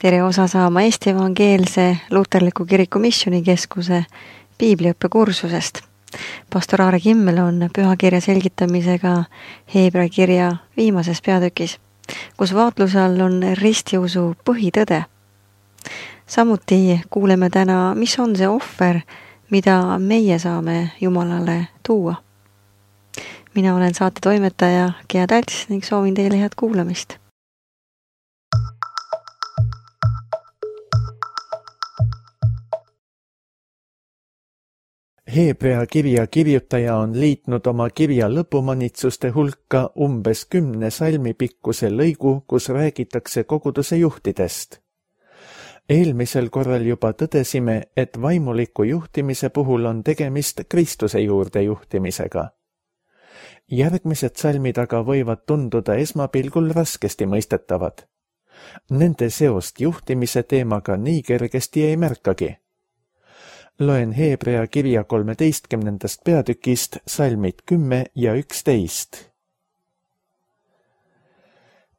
Tere osa saama Eesti Evangeelse Luterliku Kiriku Missioonikeskuse piibliõppe kursusest. Pastor Aare Kimmel on pühakirja selgitamisega Heebrea kirja viimases peatükis, kus vaatluse all on ristiusu põhitõde. Samuti kuuleme täna, mis on see ohver, mida meie saame Jumalale tuua. Mina olen saate toimetaja Gea Talts ning soovin teile head kuulamist. Heebrea kirja kirjutaja on liitnud oma kirja lõpumanitsuste hulka umbes 10 salmi pikkuse lõigu, kus räägitakse koguduse juhtidest. Eelmisel korral juba tõdesime, et vaimuliku juhtimise puhul on tegemist Kristuse juurde juhtimisega. Järgmised salmid aga võivad tunduda esmapilgul raskesti mõistetavad. Nende seost juhtimise teemaga nii kergesti ei märkagi. Loen Heebrea kirja 13. peatükist salmid 10 ja 11.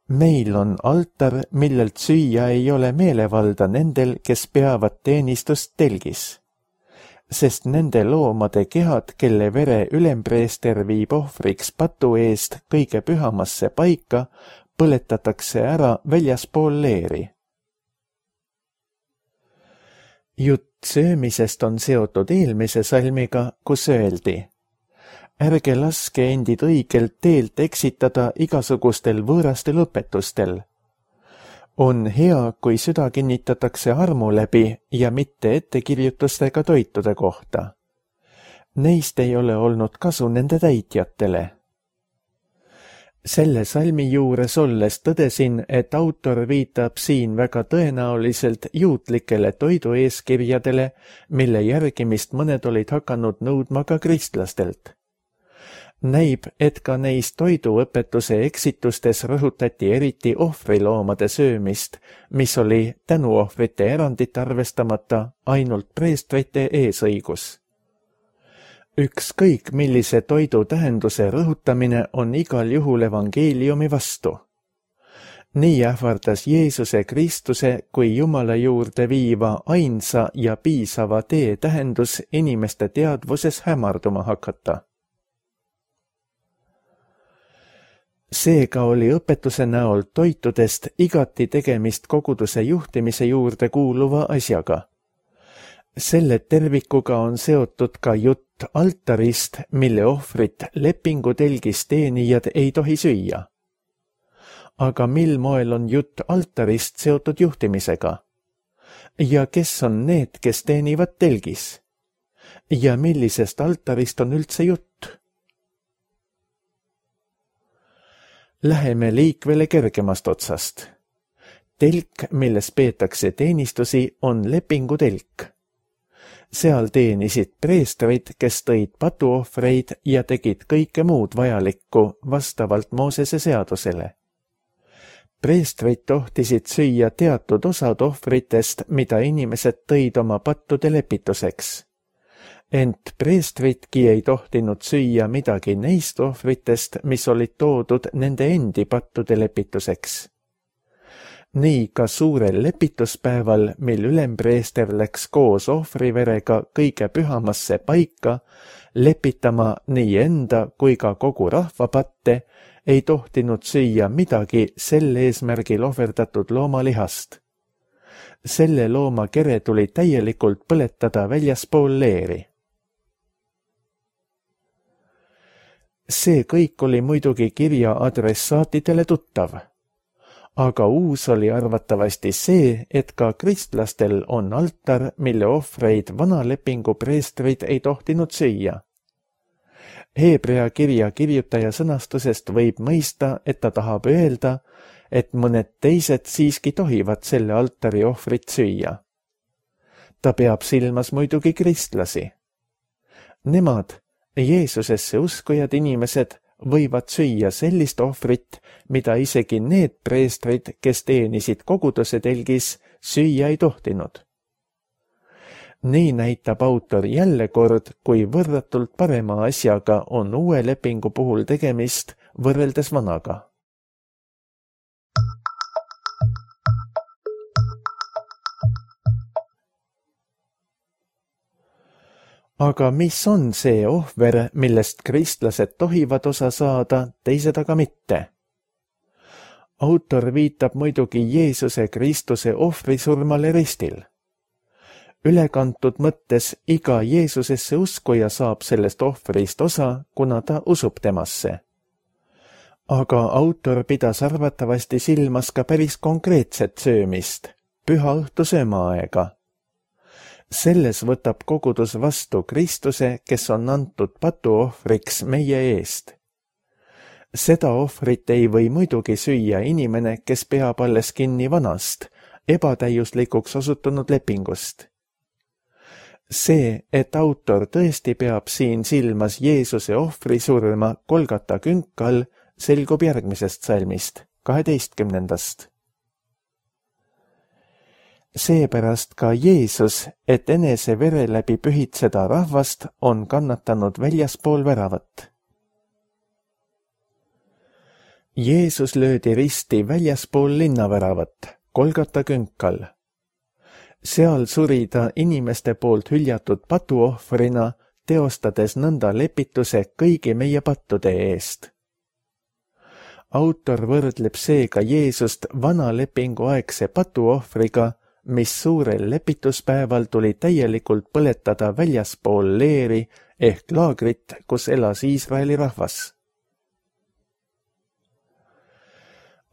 Meil on altar, millelt süüa ei ole meelevalda nendel, kes peavad teenistust telgis, sest nende loomade kehad, kelle vere ülempreester viib ohvriks patu eest kõige pühamasse paika, põletatakse ära väljaspool leeri. Jutt söömisest on seotud eelmise salmiga, kus öeldi: ärge laske endid õigelt teelt eksitada igasugustel võõrastel õpetustel. On hea, kui süda kinnitatakse armu läbi ja mitte ettekirjutustega toitude kohta. Neist ei ole olnud kasu nende täitjatele. Selle salmi juures olles tõdesin, et autor viitab siin väga tõenäoliselt juutlikele toidueeskirjadele, mille järgimist mõned olid hakanud nõudma ka kristlastelt. Näib, et ka neis toiduõpetuse eksitustes rõhutati eriti ohvriloomade söömist, mis oli tänuohvrite erandit arvestamata ainult preestrite eesõigus. Ükskõik millise toidu tähenduse rõhutamine on igal juhul evangeeliumi vastu. Nii ähvardas Jeesuse Kristuse kui Jumala juurde viiva ainsa ja piisava tee tähendus inimeste teadvuses hämarduma hakata. Seega oli õpetuse näol toitudest igati tegemist koguduse juhtimise juurde kuuluva asjaga. Selle tervikuga on seotud ka jutt altarist, mille ohvrit lepingutelgis teenijad ei tohi süüa. Aga mil moel on jutt altarist seotud juhtimisega? Ja kes on need, kes teenivad telgis? Ja millisest altarist on üldse jutt? Läheme liikvele kergemast otsast. Telk, milles peetakse teenistusi, on lepingutelk. Seal teenisid preestrid, kes tõid patuohvreid ja tegid kõike muud vajalikku vastavalt Moosese seadusele. Preestrid tohtisid süüa teatud osad ohvritest, mida inimesed tõid oma pattude lepituseks. Ent preestridki ei tohtinud süüa midagi neist ohvritest, mis olid toodud nende endi pattude lepituseks. Nii ka suurel lepituspäeval, mil ülempreester läks koos ohvriverega kõige pühamasse paika, lepitama nii enda kui ka kogu rahva patte, ei tohtinud süüa midagi sel eesmärgil ohverdatud loomalihast. Selle looma kere tuli täielikult põletada väljaspool leeri. See kõik oli muidugi kirja adressaatidele tuttav. Aga uus oli arvatavasti see, et ka kristlastel on altar, mille ohvreid vana lepingu preestrid ei tohtinud süüa. Heebrea kirja kirjutaja sõnastusest võib mõista, et ta tahab öelda, et mõned teised siiski tohivad selle altari ohvrit süüa. Ta peab silmas muidugi kristlasi. Nemad, Jeesusesse uskujad inimesed, võivad süüa sellist ohvrit, mida isegi need preestrid, kes teenisid koguduse telgis, süüa ei tohtinud. Nii näitab autor jälle kord, kui võrratult parema asjaga on uue lepingu puhul tegemist võrreldes vanaga. aga mis on see ohver, millest kristlased tohivad osa saada, teised aga mitte? Autor viitab muidugi Jeesuse Kristuse ohvrisurmale ristil. Ülekantud mõttes iga Jeesusesse uskuja saab sellest ohvrist osa, kuna ta usub temasse. Aga autor pidas arvatavasti silmas ka päris konkreetset söömist, pühaõhtu söömaaega. Selles võtab kogudus vastu Kristuse, kes on antud patuohvriks meie eest. Seda ohvrit ei või muidugi süüa inimene, kes peab alles kinni vanast, ebatäiuslikuks osutunud lepingust. See, et autor tõesti peab siin silmas Jeesuse ohvrisurma Golgata künkal, selgub järgmisest salmist, 12. Seepärast ka Jeesus, et enese vere läbi pühitseda rahvast, on kannatanud väljaspool väravat. Jeesus löödi risti väljaspool linnaväravat, Golgata künkal. Seal suri ta inimeste poolt hüljatud patuohvrina, teostades nõnda lepituse kõigi meie pattude eest. Autor võrdleb seega Jeesust vana lepingu aegse patuohvriga, mis suurel lepituspäeval tuli täielikult põletada väljaspool leeri ehk laagrit, kus elas Iisraeli rahvas.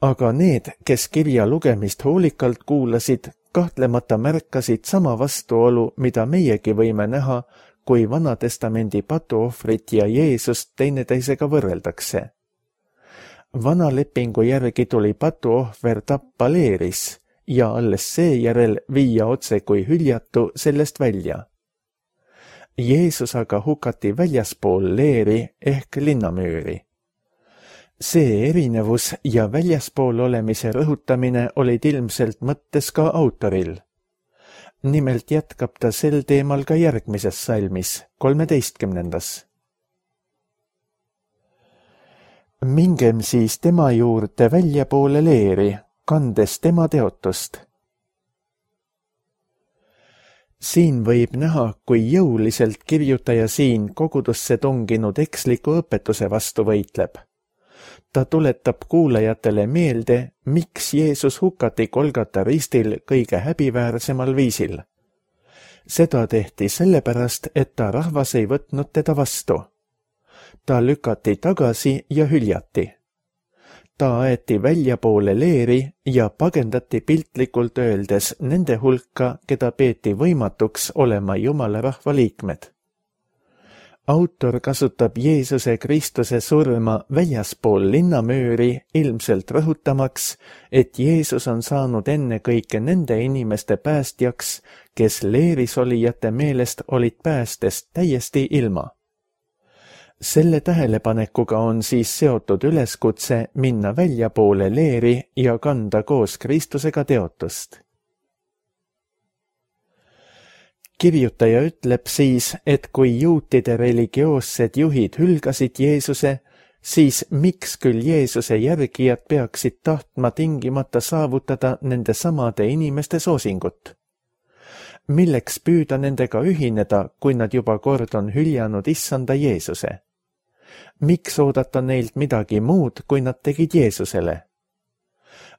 Aga need, kes kirja lugemist hoolikalt kuulasid, kahtlemata märkasid sama vastuolu, mida meiegi võime näha, kui Vanatestamendi patuohvrit ja Jeesust teineteisega võrreldakse. Vana lepingu järgi tuli patuohver tappa leeris ja alles seejärel viia otse kui hüljatu sellest välja. Jeesus aga hukati väljaspool leeri ehk linnamüüri. See erinevus ja väljaspool olemise rõhutamine olid ilmselt mõttes ka autoril. Nimelt jätkab ta sel teemal ka järgmises salmis, 13. Mingem siis tema juurde väljapoole leeri, kandes tema teotust. Siin võib näha, kui jõuliselt kirjutaja siin kogudusse tunginud eksliku õpetuse vastu võitleb. Ta tuletab kuulajatele meelde, miks Jeesus hukati Golgata ristil kõige häbiväärsemal viisil. Seda tehti sellepärast, et ta rahvas ei võtnud teda vastu. Ta lükati tagasi ja hüljati. Ta aeti väljapoole leeri ja pagendati piltlikult öeldes nende hulka, keda peeti võimatuks olema Jumala rahva liikmed. Autor kasutab Jeesuse Kristuse surma väljaspool linnamüüri ilmselt rõhutamaks, et Jeesus on saanud ennekõike nende inimeste päästjaks, kes leeris olijate meelest olid päästest täiesti ilma. Selle tähelepanekuga on siis seotud üleskutse minna väljapoole leeri ja kanda koos Kristusega teotust. Kirjutaja ütleb siis, et kui juutide religioossed juhid hülgasid Jeesuse, siis miks küll Jeesuse järgijad peaksid tahtma tingimata saavutada nende samade inimeste soosingut? Milleks püüda nendega ühineda, kui nad juba kord on hüljanud issanda Jeesuse? Miks oodata neilt midagi muud, kui nad tegid Jeesusele?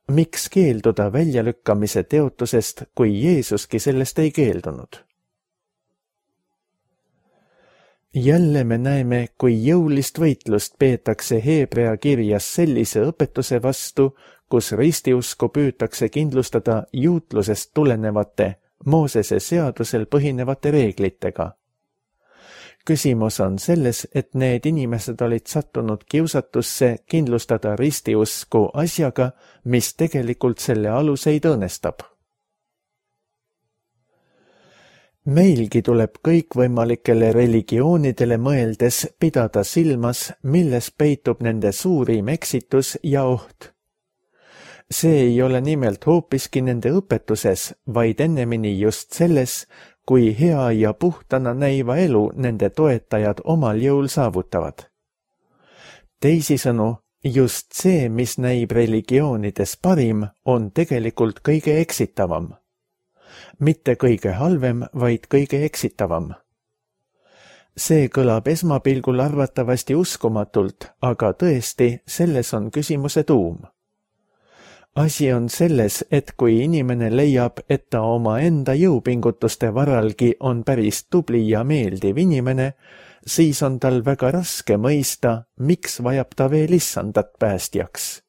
Miks keelduda väljalükkamise teotusest, kui Jeesuski sellest ei keeldunud? Jälle me näeme, kui jõulist võitlust peetakse Hebrea kirjas sellise õpetuse vastu, kus ristiusku püütakse kindlustada juutlusest tulenevate, Moosese seadusel põhinevate reeglitega. Küsimus on selles, et need inimesed olid sattunud kiusatusse kindlustada ristiusku asjaga, mis tegelikult selle aluseid õõnestab. Meilgi tuleb kõikvõimalikele religioonidele mõeldes pidada silmas, milles peitub nende suurim eksitus ja oht. See ei ole nimelt hoopiski nende õpetuses, vaid ennemini just selles, kui hea ja puhtana näiva elu nende toetajad omal jõul saavutavad. Teisisõnu, just see, mis näib religioonides parim, on tegelikult kõige eksitavam. Mitte kõige halvem, vaid kõige eksitavam. See kõlab esmapilgul arvatavasti uskumatult, aga tõesti, selles on küsimuse tuum. Asi on selles, et kui inimene leiab, et ta oma enda jõupingutuste varalgi on päris tubli ja meeldiv inimene, siis on tal väga raske mõista, miks vajab ta veel issandat päästjaks.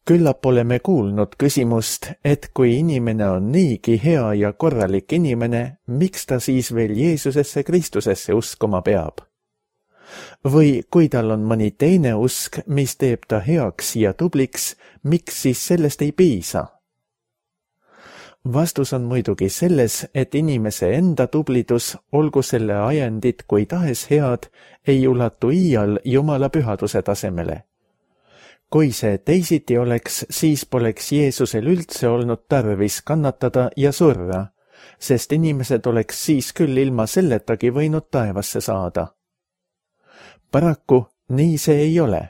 Küllap oleme kuulnud küsimust, et kui inimene on niigi hea ja korralik inimene, miks ta siis veel Jeesusesse Kristusesse uskuma peab? Või kui tal on mõni teine usk, mis teeb ta heaks ja tubliks, miks siis sellest ei piisa? Vastus on muidugi selles, et inimese enda tublidus, olgu selle ajendid kui tahes head, ei ulatu iial Jumala pühaduse tasemele. Kui see teisiti oleks, siis poleks Jeesusel üldse olnud tarvis kannatada ja surra, sest inimesed oleks siis küll ilma selletagi võinud taevasse saada. Paraku nii see ei ole.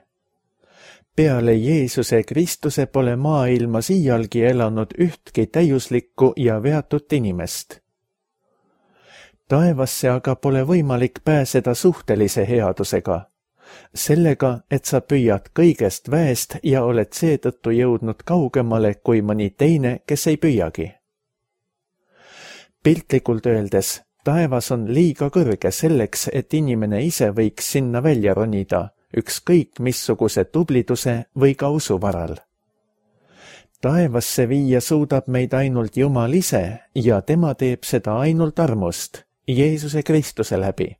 Peale Jeesuse Kristuse pole maailmas iialgi elanud ühtki täiuslikku ja veatut inimest. Taevasse aga pole võimalik pääseda suhtelise headusega, sellega, et sa püüad kõigest väest ja oled seetõttu jõudnud kaugemale kui mõni teine, kes ei püüagi. Piltlikult öeldes, taevas on liiga kõrge selleks, et inimene ise võiks sinna välja ronida, ükskõik missuguse tubliduse või ka usu varal. Taevasse viia suudab meid ainult Jumal ise ja tema teeb seda ainult armust, Jeesuse Kristuse läbi.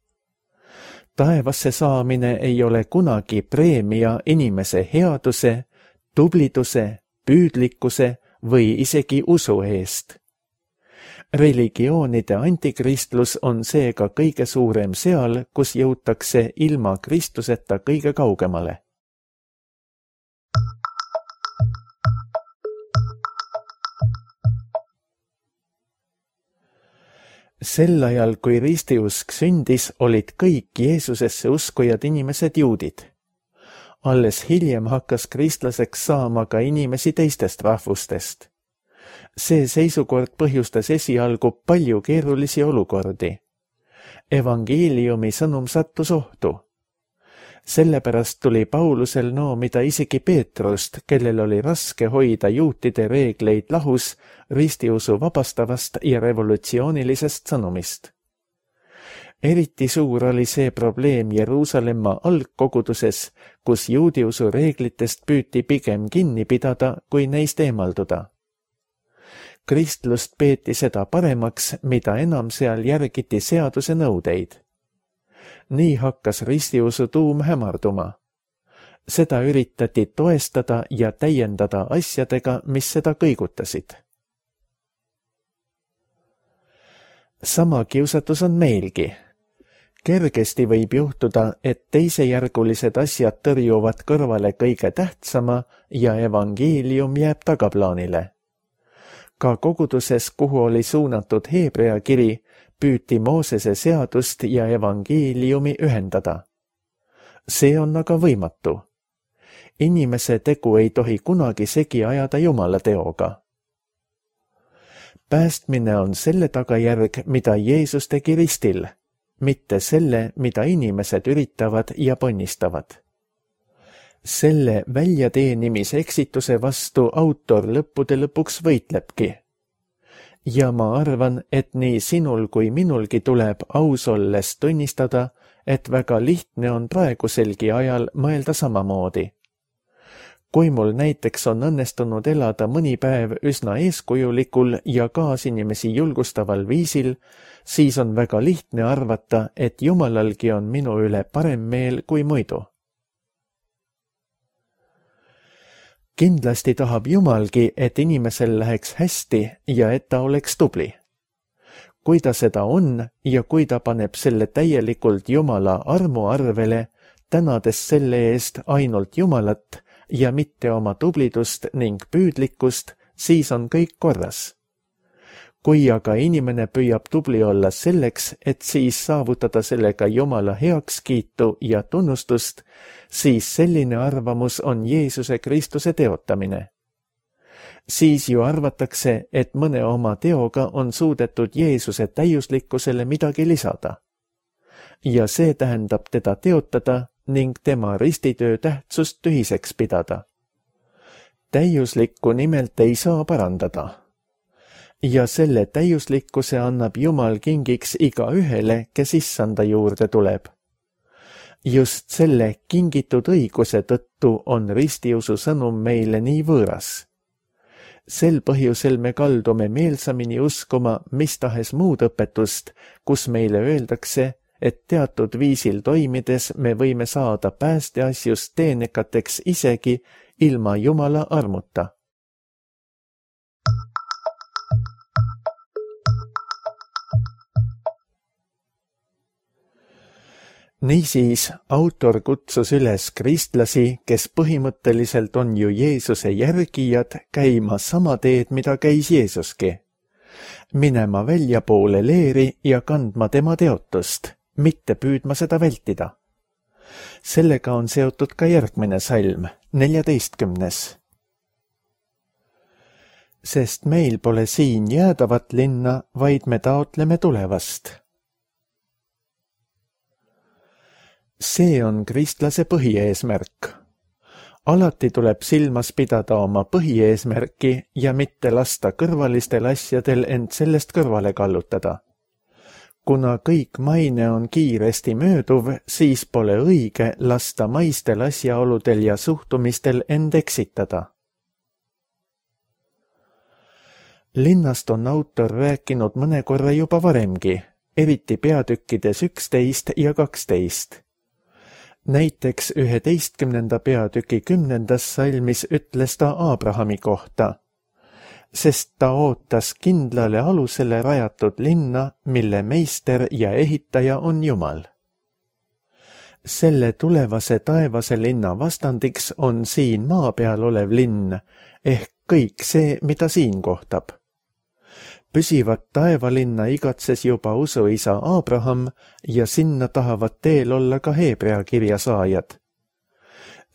Taevasse saamine ei ole kunagi preemia inimese headuse, tubliduse, püüdlikkuse või isegi usu eest. Religioonide antikristlus on seega kõige suurem seal, kus jõutakse ilma Kristuseta kõige kaugemale. Sel ajal, kui ristiusk sündis, olid kõik Jeesusesse uskujad inimesed juudid. Alles hiljem hakkas kristlaseks saama ka inimesi teistest rahvustest. See seisukord põhjustas esialgu palju keerulisi olukordi. Evangeeliumi sõnum sattus ohtu. Sellepärast tuli Paulusel noomida isegi Peetrust, kellel oli raske hoida juutide reegleid lahus ristiusu vabastavast ja revolutsioonilisest sõnumist. Eriti suur oli see probleem Jeruusalemma algkoguduses, kus juudiusu reeglitest püüti pigem kinni pidada, kui neist eemalduda. Kristlust peeti seda paremaks, mida enam seal järgiti seaduse nõudeid. Nii hakkas ristiusu tuum hämarduma. Seda üritati toestada ja täiendada asjadega, mis seda kõigutasid. Sama kiusatus on meilgi. Kergesti võib juhtuda, et teisejärgulised asjad tõrjuvad kõrvale kõige tähtsama ja evangeelium jääb tagaplaanile. Ka koguduses, kuhu oli suunatud Heebrea kiri, püüti Moosese seadust ja evangeeliumi ühendada. See on aga võimatu. Inimese tegu ei tohi kunagi segi ajada Jumala teoga. Päästmine on selle tagajärg, mida Jeesus tegi ristil, mitte selle, mida inimesed üritavad ja ponnistavad. Selle väljateenimise eksituse vastu autor lõppude lõpuks võitlebki. Ja ma arvan, et nii sinul kui minulgi tuleb aus olles tunnistada, et väga lihtne on praeguselgi ajal mõelda samamoodi. Kui mul näiteks on õnnestunud elada mõni päev üsna eeskujulikul ja kaasinimesi julgustaval viisil, siis on väga lihtne arvata, et Jumalalgi on minu üle parem meel kui muidu. Kindlasti tahab Jumalgi, et inimesel läheks hästi ja et ta oleks tubli. Kui ta seda on ja kui ta paneb selle täielikult Jumala armu arvele, tänades selle eest ainult Jumalat ja mitte oma tublidust ning püüdlikkust, siis on kõik korras. Kui aga inimene püüab tubli olla selleks, et siis saavutada sellega Jumala heakskiitu ja tunnustust, siis selline arvamus on Jeesuse Kristuse teotamine. siis ju arvatakse, et mõne oma teoga on suudetud Jeesuse täiuslikkusele midagi lisada. Ja see tähendab teda teotada ning tema ristitöö tähtsust tühiseks pidada. Täiuslikku nimelt ei saa parandada. Ja selle täiuslikkuse annab Jumal kingiks igaühele, kes issanda juurde tuleb. Just selle kingitud õiguse tõttu on ristiusu sõnum meile nii võõras. Sel põhjusel me kaldume meelsamini uskuma mis tahes muud õpetust, kus meile öeldakse, et teatud viisil toimides me võime saada päästeasjust teenekateks isegi ilma Jumala armuta. Niisiis, autor kutsus üles kristlasi, kes põhimõtteliselt on ju Jeesuse järgijad, käima sama teed, mida käis Jeesuski. Minema väljapoole leeri ja kandma tema teotust, mitte püüdma seda vältida. Sellega on seotud ka järgmine salm, 14. Sest meil pole siin jäädavat linna, vaid me taotleme tulevast. See on kristlase põhieesmärk. Alati tuleb silmas pidada oma põhieesmärki ja mitte lasta kõrvalistel asjadel end sellest kõrvale kallutada. Kuna kõik maine on kiiresti mööduv, siis pole õige lasta maistel asjaoludel ja suhtumistel end eksitada. Linnast on autor rääkinud mõne korra juba varemgi, eriti peatükkides 11 ja 12. Näiteks 11. peatüki 10. salmis ütles ta Abrahami kohta, sest ta ootas kindlale alusele rajatud linna, mille meister ja ehitaja on Jumal. Selle tulevase taevase linna vastandiks on siin maa peal olev linn, ehk kõik see, mida siin kohtab. Püsivat taevalinna igatses juba usuisa Abraham ja sinna tahavad teel olla ka Hebrea kirja saajad.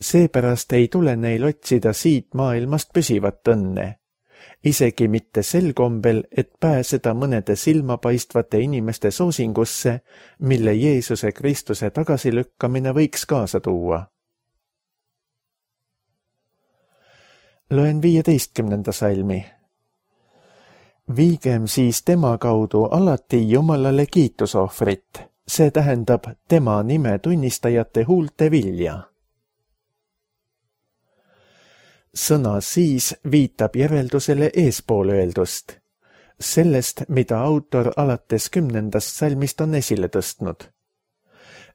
Seepärast ei tule neil otsida siit maailmast püsivat õnne, isegi mitte sel kombel, et pääseda mõnede silmapaistvate inimeste soosingusse, mille Jeesuse Kristuse tagasilükkamine võiks kaasa tuua. Loen 15. salmi. Viigem siis tema kaudu alati Jumalale kiitusohvrit, see tähendab tema nime tunnistajate huulte vilja. Sõna siis viitab järeldusele eespool öeldust, sellest, mida autor alates 10. salmist on esile tõstnud.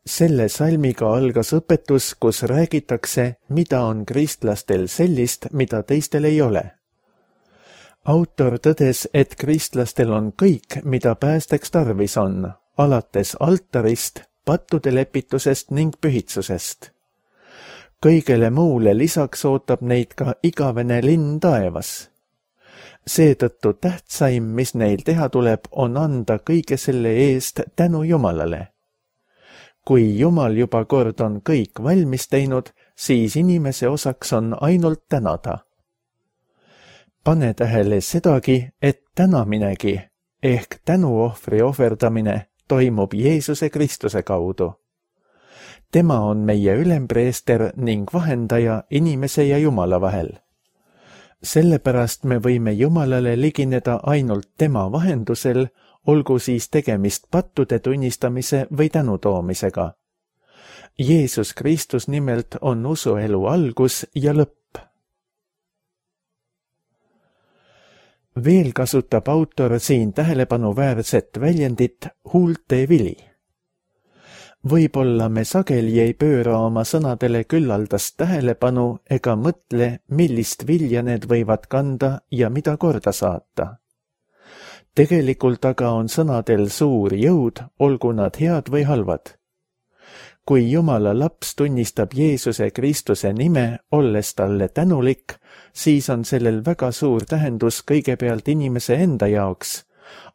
Selle salmiga algas õpetus, kus räägitakse, mida on kristlastel sellist, mida teistel ei ole. Autor tõdes, et kristlastel on kõik, mida päästeks tarvis on, alates altarist, pattude lepitusest ning pühitsusest. Kõigele muule lisaks ootab neid ka igavene linn taevas. Seetõttu tähtsaim, mis neil teha tuleb, on anda kõige selle eest tänu Jumalale. Kui Jumal juba kord on kõik valmis teinud, siis inimese osaks on ainult tänada. Pane tähele sedagi, et tänaminegi ehk tänuohvri ohverdamine toimub Jeesuse Kristuse kaudu. Tema on meie ülempreester ning vahendaja inimese ja Jumala vahel. Sellepärast me võime Jumalale ligineda ainult tema vahendusel, olgu siis tegemist pattude tunnistamise või tänutoomisega. Jeesus Kristus nimelt on usuelu algus ja lõpp. Veel kasutab autor siin tähelepanuväärset väljendit huulte vili. Võib-olla me sageli ei pööra oma sõnadele küllaldast tähelepanu ega mõtle, millist vilja need võivad kanda ja mida korda saata. Tegelikult aga on sõnadel suur jõud, olgu nad head või halvad. Kui Jumala laps tunnistab Jeesuse Kristuse nime, olles talle tänulik, siis on sellel väga suur tähendus kõigepealt inimese enda jaoks,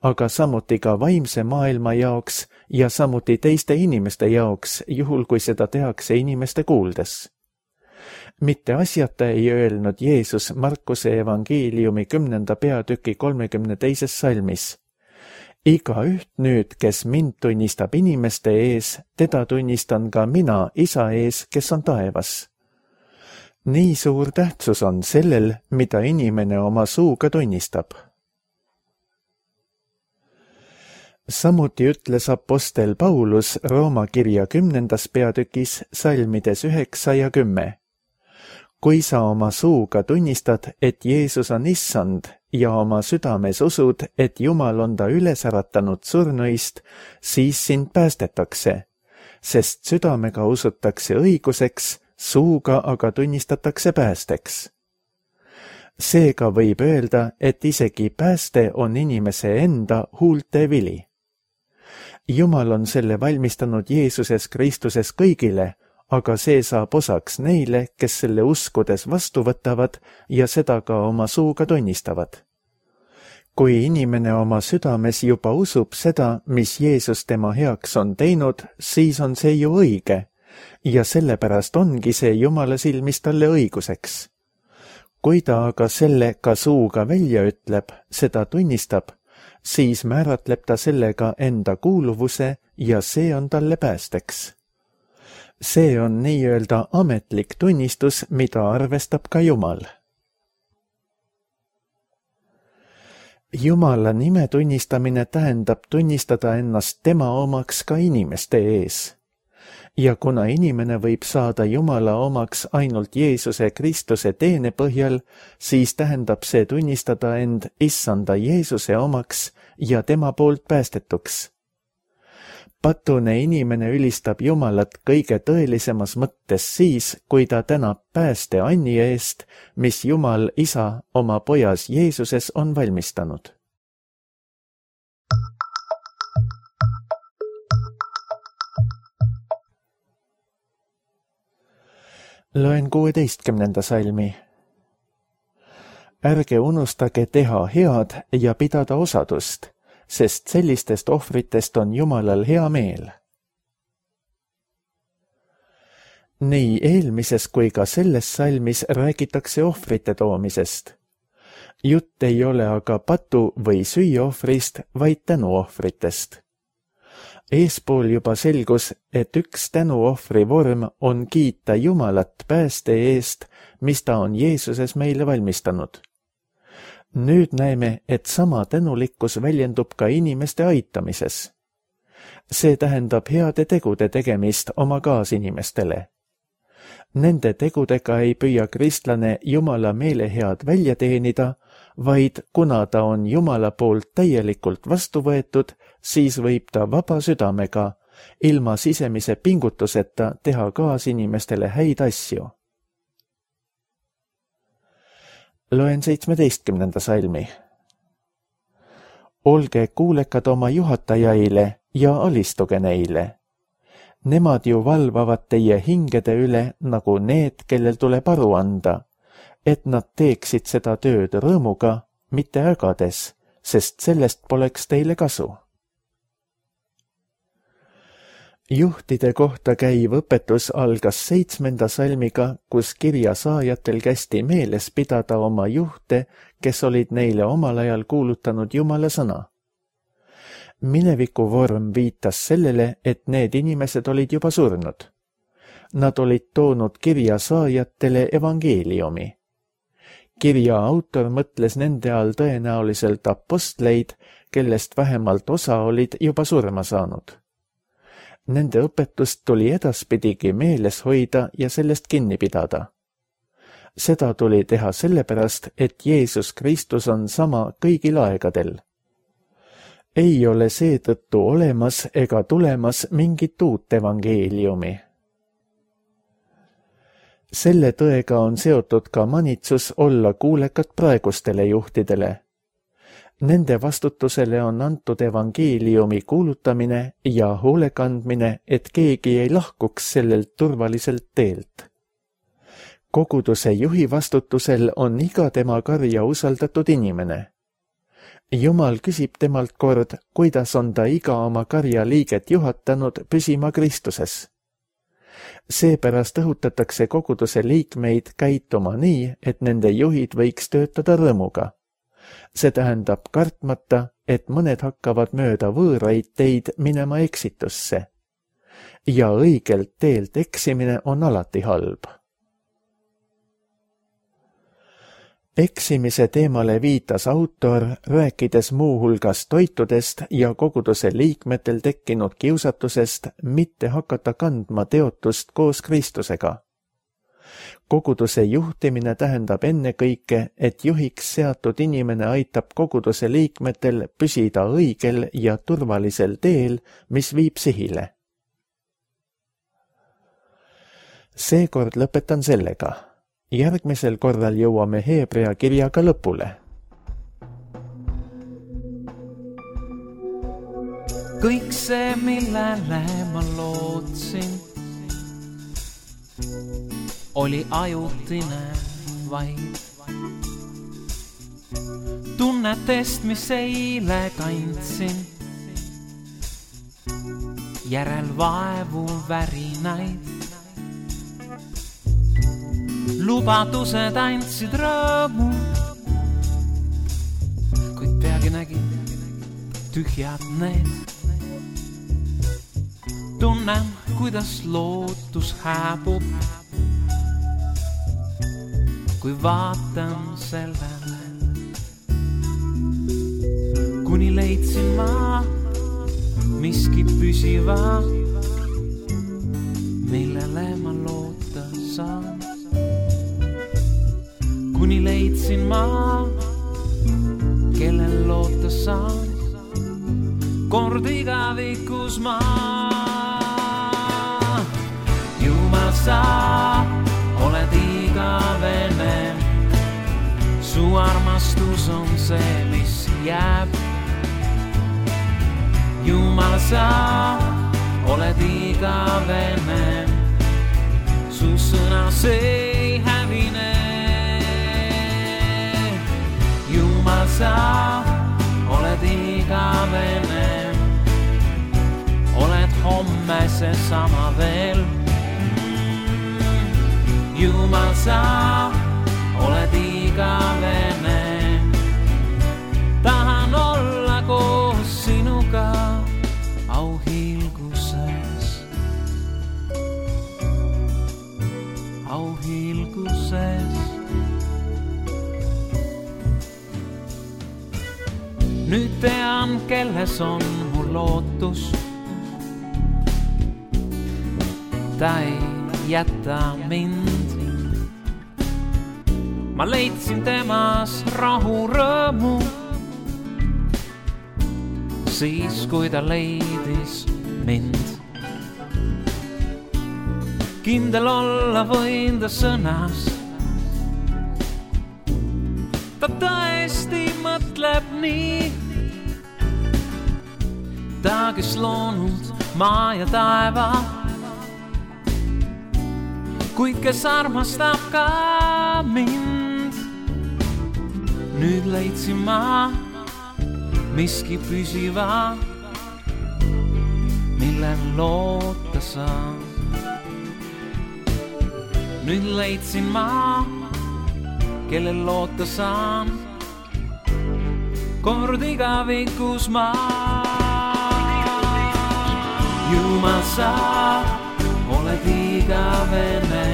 aga samuti ka vaimse maailma jaoks ja samuti teiste inimeste jaoks, juhul kui seda tehakse inimeste kuuldes. mitte asjata ei öelnud Jeesus Markuse evangeeliumi 10. peatüki 32. salmis. Igaüht nüüd, kes mind tunnistab inimeste ees, teda tunnistan ka mina Isa ees, kes on taevas. Nii suur tähtsus on sellel, mida inimene oma suuga tunnistab. Samuti ütles apostel Paulus Rooma kirja 10. peatükis salmides 9 ja 10. Kui sa oma suuga tunnistad, et Jeesus on issand ja oma südames usud, et Jumal on ta üles äratanud surnuist, siis sind päästetakse, sest südamega usutakse õiguseks, suuga aga tunnistatakse päästeks. Seega võib öelda, et isegi pääste on inimese enda huulte vili. Jumal on selle valmistanud Jeesuses Kristuses kõigile, aga see saab osaks neile, kes selle uskudes vastu võtavad ja seda ka oma suuga tunnistavad. Kui inimene oma südames juba usub seda, mis Jeesus tema heaks on teinud, siis on see ju õige ja sellepärast ongi see Jumala silmis talle õiguseks. Kui ta aga selle ka suuga välja ütleb, seda tunnistab, siis määratleb ta sellega enda kuuluvuse ja see on talle päästeks. See on nii-öelda ametlik tunnistus, mida arvestab ka Jumal. Jumala nime tunnistamine tähendab tunnistada ennast tema omaks ka inimeste ees. Ja kuna inimene võib saada Jumala omaks ainult Jeesuse Kristuse teene põhjal, siis tähendab see tunnistada end issanda Jeesuse omaks ja tema poolt päästetuks. Patune inimene ülistab Jumalat kõige tõelisemas mõttes siis, kui ta tänab pääste anni eest, mis Jumal Isa oma pojas Jeesuses on valmistanud. Loen 16. salmi. Ärge unustage teha head ja pidada osadust, sest sellistest ohvritest on Jumalal hea meel. Nii eelmises kui ka selles salmis räägitakse ohvrite toomisest. Jutt ei ole aga patu- või süüohvrist, vaid tänuohvritest. Eespool juba selgus, et üks tänuohvri vorm on kiita Jumalat pääste eest, mis ta on Jeesuses meile valmistanud. Nüüd näeme, et sama tänulikkus väljendub ka inimeste aitamises. See tähendab heade tegude tegemist oma kaasinimestele. Nende tegudega ei püüa kristlane Jumala meelehead välja teenida, vaid kuna ta on Jumala poolt täielikult vastu võetud, siis võib ta vaba südamega, ilma sisemise pingutuseta teha kaasinimestele häid asju. Loen 17. salmi. Olge kuulekad oma juhatajaile ja alistuge neile. Nemad ju valvavad teie hingede üle nagu need, kellel tuleb aru anda, et nad teeksid seda tööd rõõmuga, mitte ägades, sest sellest poleks teile kasu. Juhtide kohta käiv õpetus algas 7. salmiga, kus kirja saajatel kästi meeles pidada oma juhte, kes olid neile omal ajal kuulutanud Jumala sõna. Mineviku vorm viitas sellele, et need inimesed olid juba surnud. Nad olid toonud kirja saajatele evangeeliumi. Kirja autor mõtles nende all tõenäoliselt apostleid, kellest vähemalt osa olid juba surma saanud. Nende õpetust tuli edaspidigi meeles hoida ja sellest kinni pidada. Seda tuli teha sellepärast, et Jeesus Kristus on sama kõigil aegadel. Ei ole seetõttu olemas ega tulemas mingit uut evangeeliumi. Selle tõega on seotud ka manitsus olla kuulekad praegustele juhtidele. Nende vastutusele on antud evangeeliumi kuulutamine ja hoolekandmine, et keegi ei lahkuks sellelt turvaliselt teelt. Koguduse juhi vastutusel on iga tema karja usaldatud inimene. Jumal küsib temalt kord, kuidas on ta iga oma karja liiget juhatanud püsima Kristuses. Seepärast õhutatakse koguduse liikmeid käituma nii, et nende juhid võiks töötada rõõmuga. See tähendab kartmata, et mõned hakkavad mööda võõraid teid minema eksitusse. Ja õigelt teelt eksimine on alati halb. Eksimise teemale viitas autor, rääkides muuhulgas toitudest ja koguduse liikmetel tekkinud kiusatusest mitte hakata kandma teotust koos Kristusega. Koguduse juhtimine tähendab ennekõike, et juhiks seatud inimene aitab koguduse liikmetel püsida õigel ja turvalisel teel, mis viib sihile. Seekord lõpetan sellega. Järgmisel korral jõuame Heebrea kirjaga lõpule. Kõik see, millele ma lootsin, oli ajutine vaid. Tunnetest, mis eile kandsin, järel vaevu värinaid. Lubadused andsid rõõmu, kuid peagi nägin tühjad need. Tunnen, kuidas lootus hääbub, kui vaatan sellele. Kuni leidsin ma miski püsiva, millele ma loota saan. Kuni leidsin ma, kellel loota saan, kord igavikus ma. Jumal, sa oled igavene, su armastus on see, mis jääb. Jumal, sa oled igavene, su sõna see ei hävine. Jumal, sa oled igavene, oled homme see sama veel. Jumal, sa oled igavene, tahan olla koos sinuga auhiilguses. Auhiilguses. Nüüd tean, kelles on mul lootus. Ta ei jäta mind. Ma leidsin temas rahu rõõmu, siis kui ta leidis mind. Kindel olla võin ta sõnas, ta tõesti mõtleb nii. Ta, kes loonud maa ja taeva, kuid kes armastab ka mind. Nüüd leidsin ma miski püsiva, millel loota saan. Nüüd leidsin ma, kellel loota saan, kord igavikus ma. Jumal, sa oled igavene,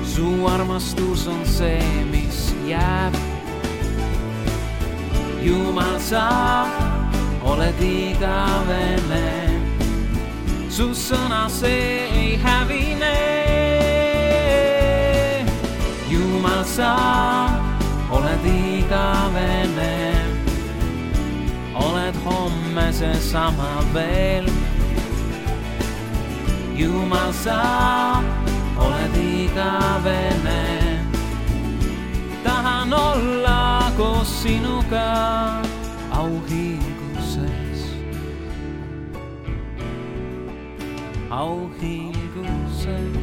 su armastus on see, mis jääb. Jumal, sa oled igavene, su sõna see ei hävine. Jumal, sa oled igavene, oled homme see sama veel. Jumal, sa oled igavene, tahan olla koos sinuga auhiilguses. Auhiilguses.